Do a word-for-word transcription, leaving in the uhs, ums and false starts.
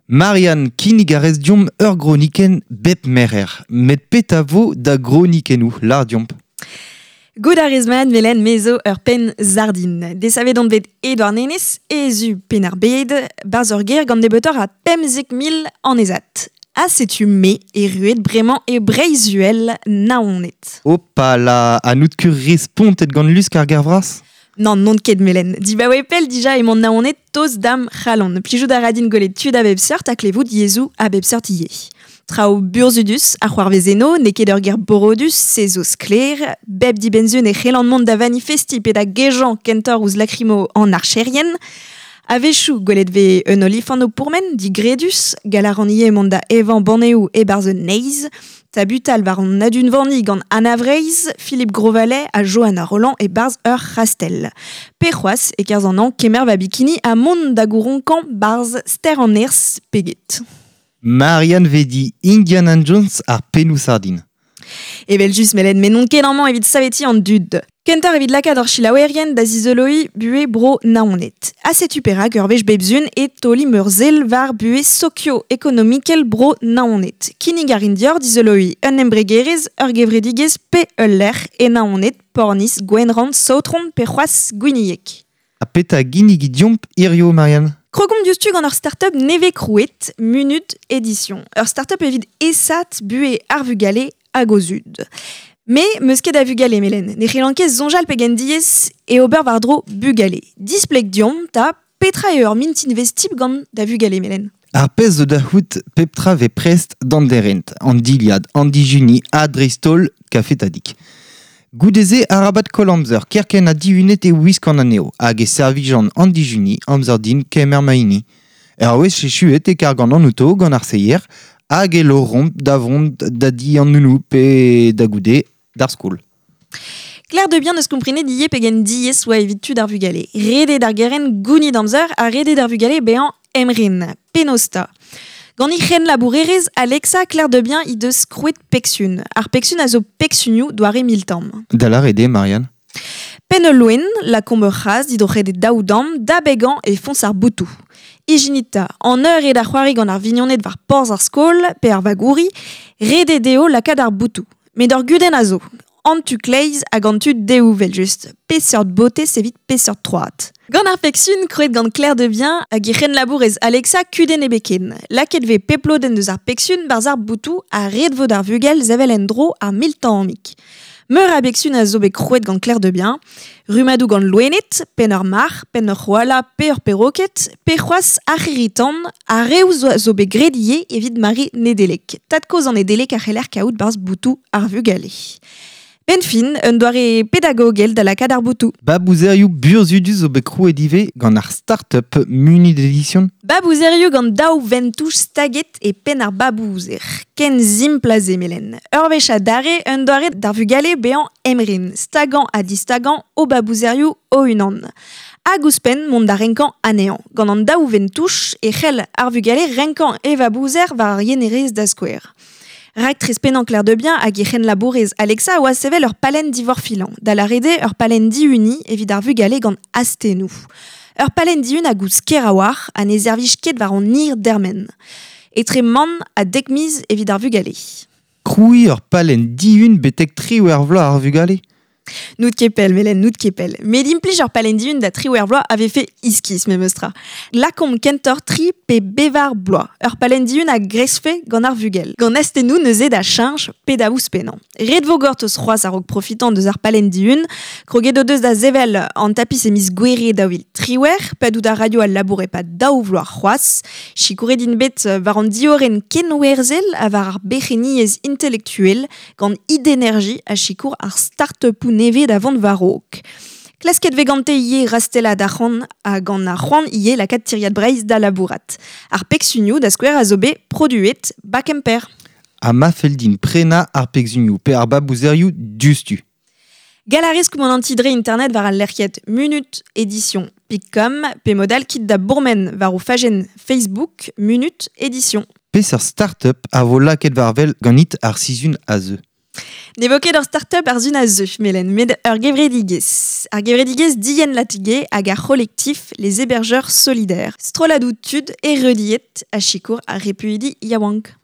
Marianne kinnig a rez diomp ur groniken bep merer. Met pet a vo da gronikennou, lar diomp. Goud a rez man melen mezo ur pen zardin. Desavet on bet Edouard Nenez, ezu pen ar bed, barz ur ger gant debetor a pemzek mil an ezat. A setu me e ruet bremañ e Breizuel naonet. Opa la, a nout kur respontet gant lusk ar gervras? Non, non ket melen. Dibaoe pel dija emañ naonet toz dam c'halon. Plijout a radin golet tud a bep seurt a klevout yezhoù a bep seurt ivez. Traoù burzhudus a c'hoarvez eno, n'eo ket ur ger borodus, se zo sklaer, bep dibenzun e c'hellan mont da vanifesti pe da gejañ kentoc'h ouzh lakrimo an archerien. A-wechoù gwelet vez un olifant o pourmen, digredus, gall a ran ivez mont da evañ banneoù e-barzh un neizh, tabutal war an adunvaniñ gant Anna Vreizh, Philippe Grosvalet ha Johanna Roland e-barzh ur c'hastell. Pe c'hoazh e-kerzh an hañv kemer va bikini ha mont da gouronkañ barzh ster an Erzh peget. Marianne Vedi, Indiana Jones ar pennoù sardin. Evel just melen, met n'on ket amañ evit savetiñ an dud. Kentoc'h evit lakaat hor selaouerien da zizoloiñ buhez bro Naoned. Ha setu perak ur wech bep sizhun e taolimp ur sell war buhez sokio-ekonomikel bro Naoned. Kinnig a rin deoc'h dizoloiñ un embregerezh, ur gevredigezh pe ul lec'h e Naoned, Pornizh, Gwenrann, Saotron pe c'hoazh Gwinieg. Ha petra ginnig diomp hirio, Marianne? Krogomp diouzhtu gant ur start-up nevez krouet, Munut Édition. Ur start-up evit aesaat buhez ar vugale hag o zud. Me, meus ket a vugale melen. Ne c'hellan ket soñjal pegen diaes e ober war-dro bugale. Displeg diomp ta petra eo ur mintinvezh tip gant da vugale melen. Ar pezh zo da c'hoût pep tra vez prest d'an derent, an dilhad, an dijuni, ha dreist-holl kafe tadik. Goude-se arabat koll amzer, kerkent ha dihunet e wiskan anezho, hag e servijan an dijuni, amzer din kemer ma hini. Ur wech echuet e kargan an auto gant ar seier, hag e loromp da vont da di an nounou pe da goude d'ar skol. Claire de bien neus komprenet ivez pegen diaes oa evit tud ar vugale. Ret eo d'ar gerent gounit amzer ha ret eo d'ar vugale bezañ emren. Penaos 'ta. Gant he c'henlabourerez Alexa Claire de Bien he deus krouet Pexun. Ar Pexun a zo Pexunioù doare miltamm. Da lâret eo, Marianne? Penn ul loen, lakaomp ur c'hazh didroc'het e daou damm, da begañ e foñs ar boutoù. Ijinit 'ta, an eur eo da c'hoari gant ar vignoned war porzh ar skol pe ar vagouri, ret eo dezho lakaat ar boutoù. Met ur gudenn a zo. An tu kleiz hag an tu dehoù evel-just. Peseurt botez evit peseurt troad. Gant ar Pexun, krouet gant Claire de Bien hag he c'henlabourez Alexa kudenn ebet ken. Lakaet vez pep lodenn deus ar Pexun barzh ar boutoù ha ret vo d'ar vugel sevel en-dro ar miltammig. Meur a Bexun a zo bet krouet gant Claire de Bien. Rummadoù gant loened, penn ur marc'h, penn ur c'hoala pe ur peroked, pe c'hoazh ar c'hirri-tan, ha reoù zo, zo bet graet ivez evit mare Nedeleg. Tad-kozh an Nedeleg a c'heller kaout barzh boutoù ar vugale. Benn fin, un doare pedagogel da lakaat ar boutoù. Babouzerioù burzhudus zo bet krouet ivez gant ar start-up Munut Édition. Babouzerioù gant daou ventouch staget e penn ar babouzer. Ken simpl ha se melen. Ur wech adarre, un doare d'ar vugale bezañ emren, stagañ ha distagañ o babouzerioù o-unan. Hag ouzhpenn mont da renkañ anezhañ. Gant an daou ventouch e c'hell ar vugale renkañ e babouzer war ar yenerez da skouer. Raktres pennañ Claire de Bien hag he c'henlabourez Alexa a oa sevel ur palenn divorfilañ, da lâret eo ur palenn dihuniñ evit ar vugale gant astennoù. Ur palenn dihun a goust ker a-walc'h ha ne servij ket war an hir dermen. Etre mann ha dek miz evit ar vugale. Krouiñ ur palenn dihun betek triwec'h vloaz ar vugale? N'out ket pell, melen, n'out ket pell. Met implij ur palenn dihun da triwec'h vloaz a vefe iskis memes tra. Lakaomp kentoc'h tri pe bevar bloaz. Ur palenn dihun a greskfe gant ar vugel. Gant astennoù neuze da cheñch pe da ouzhpennañ. Ret vo gortoz c'hoazh a-raok profitañ deus ar palenn dihun. Kroget o deus da sevel an tapis e miz Gouere daou vil triwec'h, padout a raio al labour e-pad daou vloaz c'hoazh. Sikouret int bet war an diorren kenwerzhel ha war ar berc'henniezh intelektuel gant Idénergie a sikour ar start-upoù nevez da vont war-raok. Klasket vez gante ivez rastellat arc'hant ha gant ar c'hoant ivez lakaat tiriad Breizh da labourat. Ar pegsunioù da skouer a zo bet produet ba Kemper. Ha ma fell din prenañ ar pegsunioù pe ar babouzerioù diouzhtu. Gall a rez koumanantiñ dre internet war al lec'hiad Munut Édition pik com pe mod all kit da bourmen war o fajenn Facebook Munut Édition. Peseurt start-up a vo lakaet war wel ganit ar sizhun a zeu. Ne vo ket ur start-up ar zun a zeu, melen, met ur gevredigez. Ar gevredigez dien latige hag ar c'holektif les hébergeurs solidaires. Stroladou tud e rediet a chikour ar repuidi yaouank.